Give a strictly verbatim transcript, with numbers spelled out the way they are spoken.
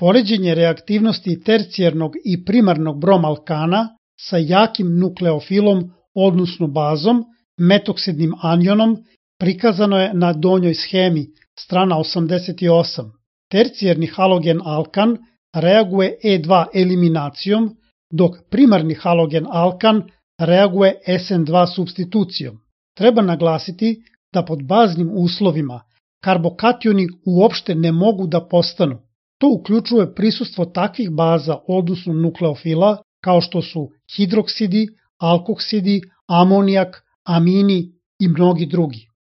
Poređenje reaktivnosti tercijarnog i primarnog bromalkana sa jakim nukleofilom, odnosno bazom, metoksidnim anionom, prikazano je na donjoj schemi, strana osamdeset osam. Tercijarni halogen alkan reaguje E dva eliminacijom, dok primarni halogen alkan reaguje S N dva supstitucijom. Treba naglasiti da pod baznim uslovima karbokationi uopšte ne mogu da postanu. To uključuje prisustvo takvih baza, odnosno nukleofila, kao što su hidroksidi, alkoksidi, amonijak, amini i mnogi drugi.